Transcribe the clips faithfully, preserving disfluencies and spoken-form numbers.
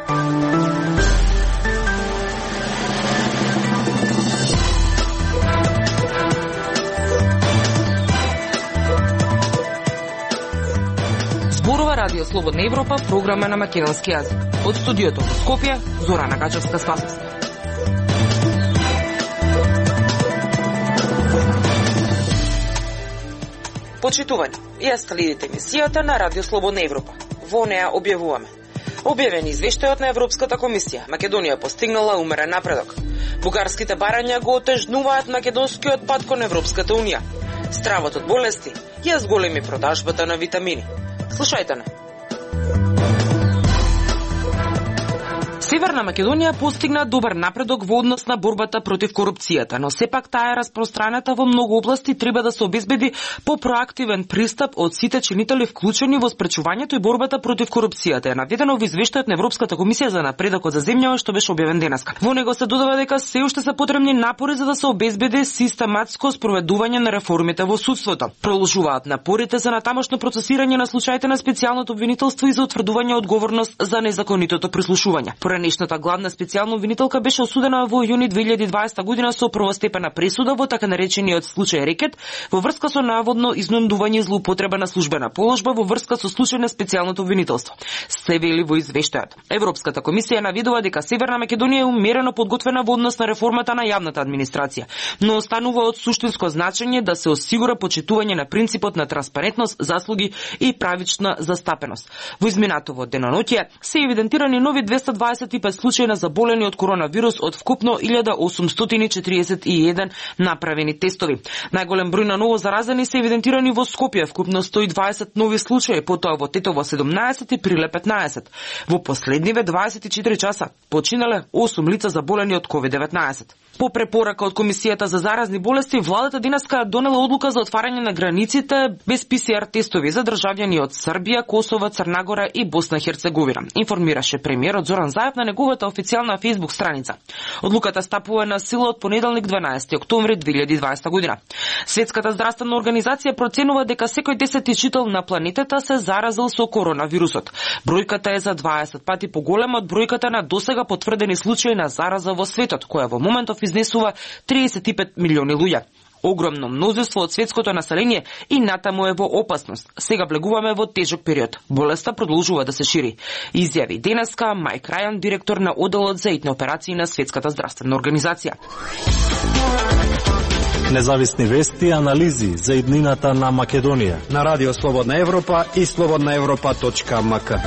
Зборува Радио Слободна Европа, програма на македонски јазик. Од студиото во Скопје, Зорана Гачевска-Спасовска. Почитување, ја следите емисијата на Радио Слободна Европа. Во неа објавуваме. Објавени извештајот на Европската комисија. Македонија постигнала умерен напредок. Бугарските барања го отежнуваат македонскиот пат кон Европската унија. Стравот од болести ја зголеми продажбата на витамини. Слушајте не. Северна Македонија постигна добар напредок во однос на борбата против корупцијата, но сепак таа е распространета во многу области, треба да се обезбеди по-проактивен пристап од сите чинители вклучени во спречувањето и борбата против корупцијата. Е наведено во извештајот на Европската комисија за напредокот за земјава што беше објавен денеска. Во него се додава дека се уште се потребни напори за да се обезбеди систематско спроведување на реформите во судството. Продолжуваат напорите за натамошно процесирање на случаите на специјалното обвинителство и за утврдување одговорност за незаконитото прислушување. Поранешната главна специјална обвинителка беше осудена во јуни две илјади и дваесета година со првостепена пресуда во така наречениот случај Рекет во врска со наводно изнудување и злоупотреба на службена положба во врска со случај на специјалното обвинителство. Се вели во извештајот. Европската комисија наведува дека Северна Македонија е умерено подготвена во однос на реформата на јавната администрација, но останува од суштинско значење да се осигура почитување на принципот на транспарентност, заслуги и правична застапеност. Во изминатово деноноќе се евидентирани нови двеста дваесет и пет случаи на заболени од коронавирус од вкупно илјада осумстотини и четириесет и еден направени тестови. Најголем број на ново заразени се евидентирани во Скопје, вкупно сто и дваесет нови случаи, потоа во Тетово седумнаесет и Прилеп петнаесет. Во последниве дваесет и четири часа починале осум лица заболени од ковид деветнаесет. По препорака од Комисијата за заразни болести, владата денеска донела одлука за отварање на границите без пе се ар тестови за државјани од Србија, Косово, Црна Гора и Босна и Херцеговина, информираше премиерот Зоран Заев на неговата официјална фејсбук страница. Одлуката стапува на сила од понеделник дванаесети октомври две илјади и дваесета година. Светската здравствена организација проценува дека секој десети жител на планетата се заразил со коронавирусот. Бројката е за дваесет пати поголема од бројката на досега потврдени случаи на зараза во светот, која во моментов изнесува триесет и пет милиони луѓе. Огромно мнозинство од светското население и натаму е во опасност. Сега влегуваме во тежок период. Болеста продолжува да се шири. Изјави денеска Майк Рајан, директор на оделот за итни операции на Светската здравствена организација. Независни вести и анализи за иднината на Македонија на Радио Слободна Европа и слободна европа точка ем ка.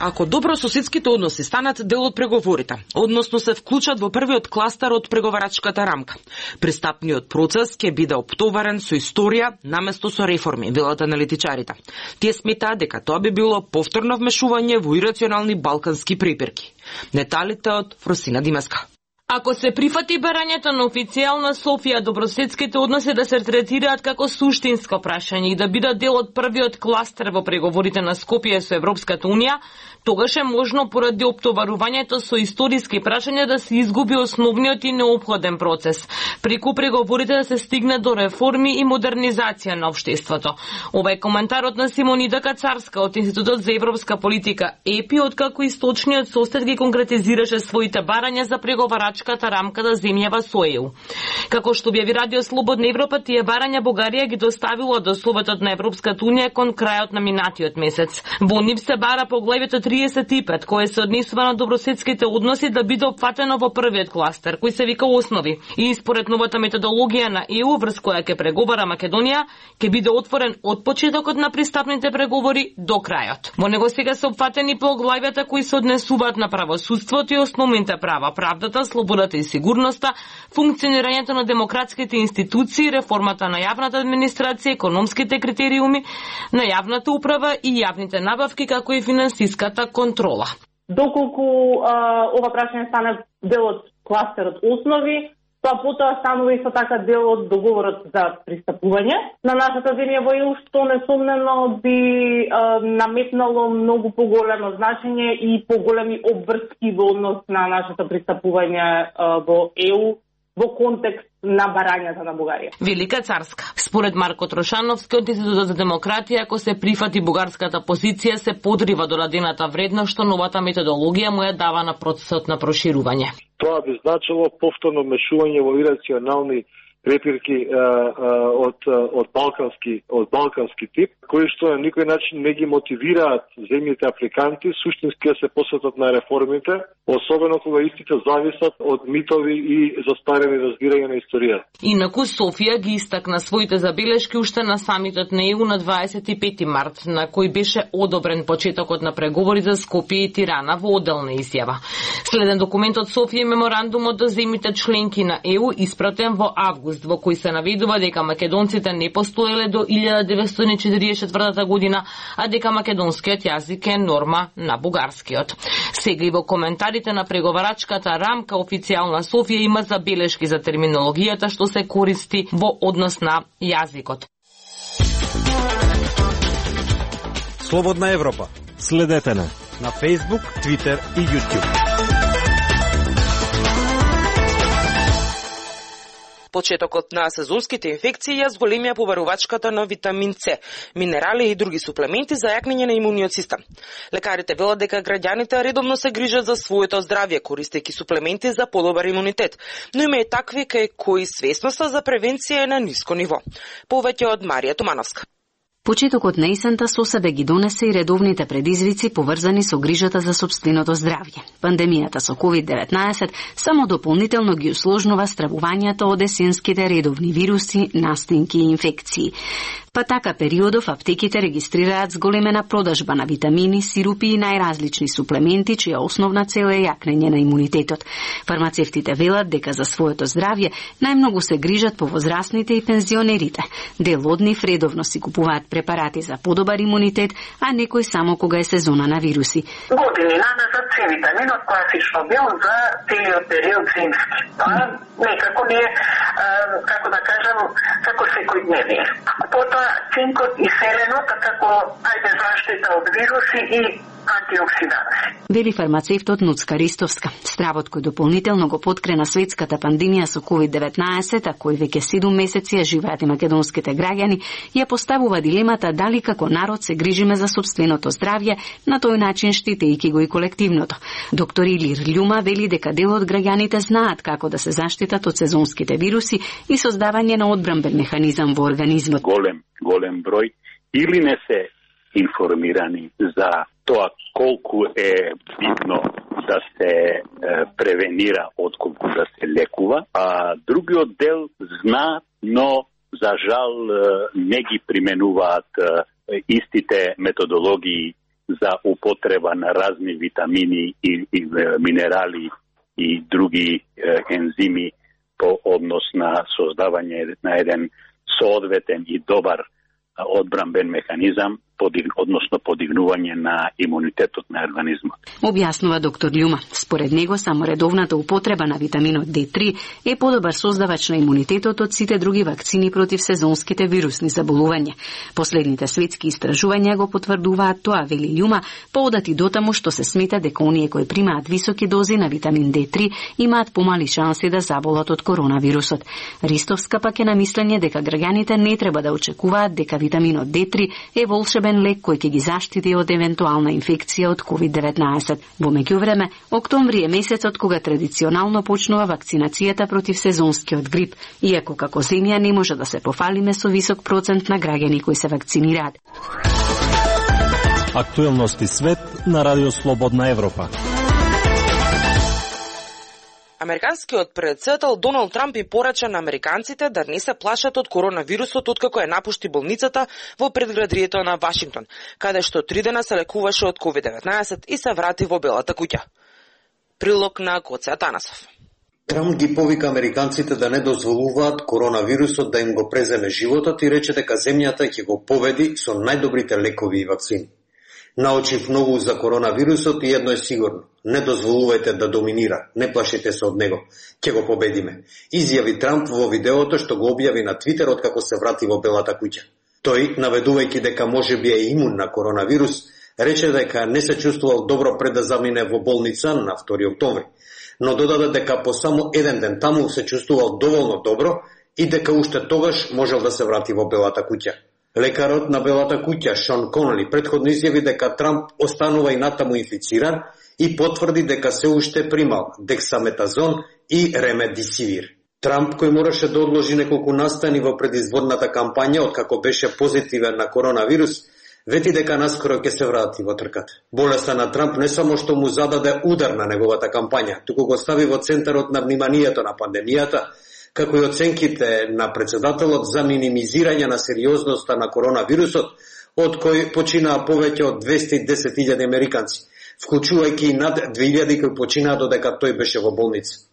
Ако добрососедските односи станат дел од преговорите, односно се вклучат во првиот кластер од преговарачката рамка, пристапниот процес ќе биде оптоварен со историја наместо со реформи, велат аналитичарите. Тие сметаат дека тоа би било повторно вмешување во ирационални балкански препирки. Деталите од Фросина Димеска. Ако се прифати барањето на официјална Софија добрососедските односи да се третираат како суштинско прашање и да бидат дел од првиот кластер во преговорите на Скопје со Европската унија, тогаш е можно поради оптоварувањето со историски прашања да се изгуби основниот и неопходен процес, преку преговорите да се стигне до реформи и модернизација на општеството. Ова е коментарот на Симонида Кацарска од Институтот за европска политика ЕПИ, откако источниот состав ги конкретизираше своите барања за преговарачката рамка да земјава со е у. Како што објави Радио Слободна Европа, тие барања Бугарија ги доставила до Советот на Европската унија кон крајот на минатиот месец. Во нив се бара поглавјето триесет и пет, кое се однесува на добрососедските односи да биде опфатено во првиот кластер, кој се вика основи. И според новата методологија на е у, врз која ќе преговара Македонија, ќе биде отворен од почетокот на пристапните преговори до крајот. Во него сега се опфатени поглавјата кои се однесуваат на правосудството и основните права, правдата, слободата и сигурноста, функционирањето на демократските институции, реформата на јавната администрација, економските критериуми на јавната управа и јавните набавки, како и финансиската контрола. Доколку а, ова прашање стане дел од кластерот основи, тоа потоа станува исто така дел од договорот за пристапување на нашата земја во е у, што несомнено би а, наметнало многу поголемо значење и поголеми обврски во однос на нашето пристапување а, во е у во контекст на барањата на Бугарија. Велика Царска. Според Марко Трошановски од Институтот за демократија, ако се прифати бугарската позиција, се подрива дорадената вредност што новата методологија му ја дава на процесот на проширување. Тоа би значило повторно мешување во ирационални препирки а, а, од од балкански од балкански тип, кои што на никој начин не ги мотивираат земјите африканти суштински да се посветат на реформите, особено кога истите зависат од митови и застарени разбирања на историјата. Инаку Софија ги истакна своите забелешки уште на самитот на Е У на дваесет и пети март, на кој беше одобрен почетокот на преговори за Скопје и Тирана во одделна изјава. Следен документ од Софија и меморандумот до земјите членки на Е У испратен во август, во кој се наведува дека македонците не постоеле до илјада деветстотини четиридесет и четвртата година, а дека македонскиот јазик е норма на бугарскиот. Сега и во коментарите на преговарачката рамка официјална Софија има забелешки за терминологијата што се користи во однос на јазикот. Слободна Европа. Следете на на Facebook, Twitter и YouTube. Почетокот на сезонските инфекции ја зголемија побарувачката на витамин С, минерали и други суплементи за јакнење на имуниот систем. Лекарите велат дека граѓаните редовно се грижат за своето здравје, користејќи суплементи за подобар имунитет, но има и такви кај кои свесноста за превенција е на ниско ниво. Повеќе од Марија Тумановска. Почетокот на есента со себе ги донесе и редовните предизвици поврзани со грижата за сопственото здравје. Пандемијата со ковид деветнаесет само дополнително ги усложнува стравувањето од есенските редовни вируси, настинки и инфекции. Па така периодов аптеките регистрираат зголемена продажба на витамини, сирупи и најразлични суплементи, чија основна цел е јакнење на имунитетот. Фармацевтите велат дека за своето здравје најмногу се грижат повозрасните и пензионерите. Дел од нив редовно си купуваат препарати за подобар имунитет, а некој само кога е сезона на вируси. Години назад С витаминот класично бил за целиот период зимски. Тоа некако не е, како да кажам, како секојдневие. Потоа цинкот и селенот како ајде заштита од вируси и антиоксиданти. Вели фармацевтот Нуцка Ристовска. Стравот кој дополнително го подкрена светската пандемија со ковид деветнаесет, а кој веќе седум месеци ја живеат и македонските граѓани, ја поставува дилемата дали како народ се грижиме за сопственото здравје, на тој начин штитејќи го и колективното. Доктор Илир Љума вели дека дел од граѓаните знаат како да се заштитат од сезонските вируси и создавање на одбранбен механизам во организмот. Голем, голем број или не се информирани за тоа колку е битно да се е, превенира отколку да се лекува, а другиот дел знаат, но за жал не ги применуваат е, истите методологии за употреба на разни витамини и, и минерали и други е, ензими по однос на создавање на еден соодветен и добар одбранбен механизам, подиг, односно подигнување на имунитетот на организмот. Објаснува доктор Љума. Според него само редовната употреба на витаминот Д три е подобар создавач на имунитетот од сите други вакцини против сезонските вирусни заболувања. Последните светски истражувања го потврдуваат тоа, вели Љума, поодати дотаму што се смета дека оние кои примаат високи дози на витамин Д три имаат помали шанси да заболат од коронавирусот. Ристовска пак е на мислење дека граѓаните не треба да очекуваат дека витаминот Д три е волшебен лек кој ќе ги заштити од евентуална инфекција од ковид деветнаесет. Во меѓувреме, октомври е месецот кога традиционално почнува вакцинацијата против сезонскиот грип, иако како земја не може да се пофалиме со висок процент на граѓани кои се вакцинираат. Актуелности свет на Радио Слободна Европа. Американскиот претседател Доналд Трамп и порача на американците да не се плашат од коронавирусот откако ја напушти болницата во предградието на Вашингтон, каде што три дена се лекуваше од ковид деветнаесет и се врати во Белата куќа. Прилог на Гоце Атанасов. Трамп ги повика американците да не дозволуваат коронавирусот да им го преземе животот и рече дека земјата ќе го победи со најдобрите лекови и вакцини. Научив многу за коронавирусот и едно е сигурно. Не дозволувајте да доминира, не плашите се од него. Ќе го победиме. Изјави Трамп во видеото што го објави на Твитер откако се врати во Белата куќа. Тој, наведувајќи дека може би е имун на коронавирус, рече дека не се чувствувал добро пред да замине во болница на втори октомври. но додаде дека по само еден ден таму се чувствувал доволно добро и дека уште тогаш можел да се врати во Белата куќа. Лекарот на Белата куќа Шон Конли претходно изјави дека Трамп останува и натаму инфициран и потврди дека се уште примал дексаметазон и ремедисивир. Трамп, кој мораше да одложи неколку настани во предизборната кампања откако беше позитивен на коронавирус, вети дека наскоро ќе се врати во трката. Болеста на Трамп не само што му зададе удар на неговата кампања, туку го стави во центарот на вниманието на пандемијата, како и оценките на председателот за минимизирање на сериозноста на коронавирусот, од кој починаа повеќе од двесте и десет илјади американци, вклучувајќи и над две илјади кои починаа додека тој беше во болница.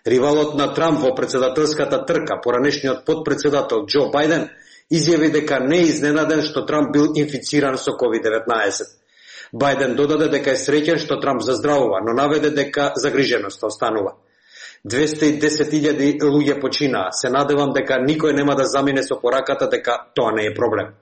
Ривалот на Трамп во председателската трка, поранешниот подпредседател Џо Бајден, изјави дека не е изненаден што Трамп бил инфициран со ковид деветнаесет. Бајден додаде дека е среќен што Трамп заздравува, но наведе дека загриженоста останува. двесте и десет илјади луѓе починаа. Се надевам дека никој нема да замине со пораката дека тоа не е проблем.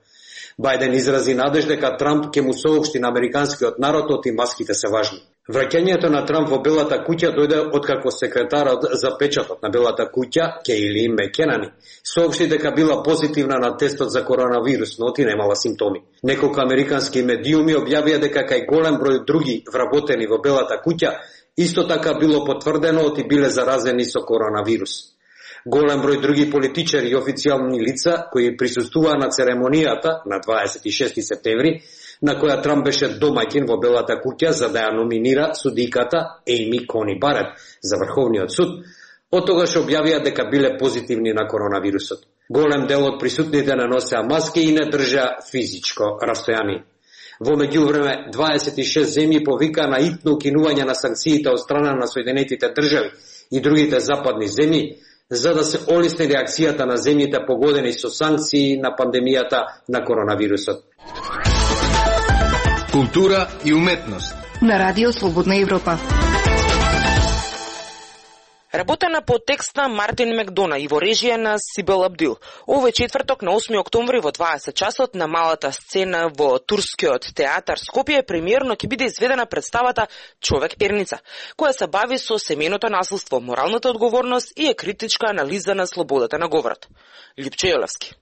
Бајден изрази надеж дека Трамп ќе му соопшти на американскиот народ и маските се важни. Враќањето на Трамп во Белата куќа дојде откако секретарот за печатот на Белата куќа, Кейли Мекенани, соопшти дека била позитивна на тестот за коронавирус, но ти немала симптоми. Неколку американски медиуми објавија дека кај голем број други вработени во Белата куќа исто така било потврдено оти биле заразени со коронавирус. Голем број други политичари и официјални лица кои присуствуваа на церемонијата на дваесет и шести септември, на која Трамп беше домаќин во Белата куќа за да ја номинира судиката Ејми Кони Барет за Врховниот суд, од тогаш објавија дека биле позитивни на коронавирусот. Голем дел од присутните не носеа маски и не држа физичко растојание. Во меѓувреме, дваесет и шест земји повика на итно укинување на санкциите од страна на Соединетите држави и другите западни земји, за да се олесни реакцијата на земјите погодени со санкции на пандемијата на коронавирусот. Култура и уметност на Радио Слободна Европа. Работена по текст на Мартин Мекдона и во режија на Сибел Абдил. Овој четврток на осми октомври во дваесет часот на малата сцена во турскиот театар Скопје премиерно ќе биде изведена представата Човек перница, која се бави со семејното насилство, моралната одговорност и е критичка анализа на слободата на говорот. Липче Јолевски.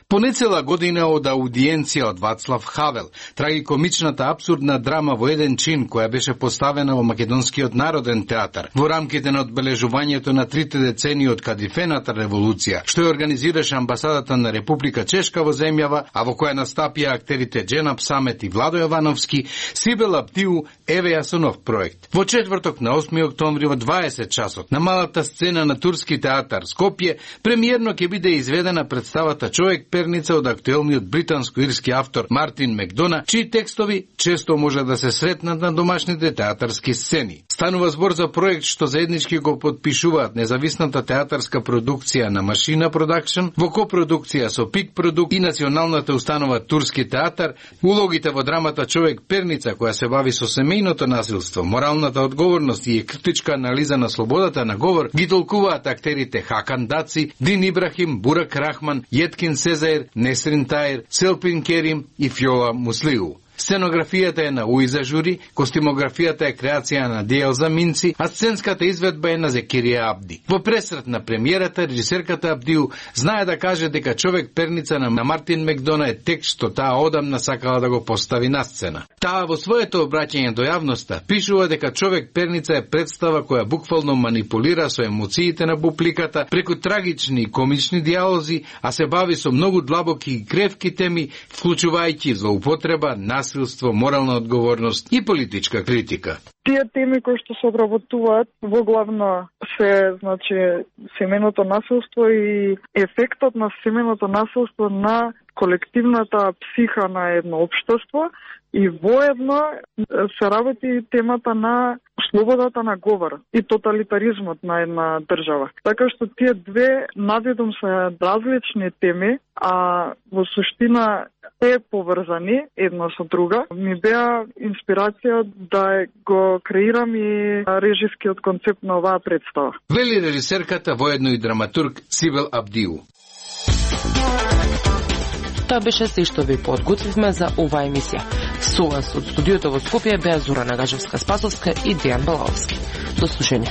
Понецела година од аудиенција од Вацлав Хавел, трагикомичната абсурдна драма во еден чин која беше поставена во Македонскиот народен театар во рамките на одбележувањето на трите децении од Кадифената револуција, што ја организираше амбасадата на Република Чешка во земјава, а во која настапија актерите Дженап Самет и Владо Јовановски, Сибел Абдил евеја со нов проект. Во четврток на осми октомври во дваесет часот на малата сцена на Турски театар Скопје премиерно ќе биде изведена представата Човек перница од актуелниот британско-ирски автор Мартин Мекдона, чии текстови често може да се сретнат на домашните театарски сцени. Станува збор за проект што заеднички го подпишуваат независната театарска продукција на Машина Продакшн во копродукција со Пик Продукт и националната установа Турски театар. Улогите во драмата Човек перница, која се бави со семејното насилство, моралната одговорност и критичка анализа на слободата на говор, ги толкуваат актерите Хакан Даци, Дин Ибрахим, Бурак Рахман, Јеткин Сезаир, Несрин Таир, Селпин Керим и Фјола Муслиу. Сценографијата е на Уиза Жури, костимографијата е креација на Диелза Минци, а сценската изведба е на Зекирија Абди. Во пресрет на премиерата, режисерката Абдиу знае да каже дека Човек перница на Мартин Мекдона е текст што таа одамна сакала да го постави на сцена. Таа во своето обраќање до јавноста пишува дека Човек перница е представа која буквално манипулира со емоциите на публиката преку трагични и комични диалози, а се бави со многу длабоки и кревки теми, вклучувајќи злоупотреба, насилство, морална одговорност и политичка критика. Тие теми кои што се обработуваат во главно се, значи, семејното насилство и ефектот на семејното насилство на колективната психа на едно општество и воедно се работи темата на слободата на говор и тоталитаризмот на една држава. Така што тие две наведом се различни теми, а во суштина е поврзани едно со друга. Ми беа инспирација да го креирам и режискиот концепт на оваа представа. Вели режисерката, воедно и драматург Сибел Абдиу. Тоа беше се што ви подготвивме за оваа емисија. Со вас од студиото во Скопје беа Зора Нагажевска-Спасовска и Дејан Балаовски. До слушање.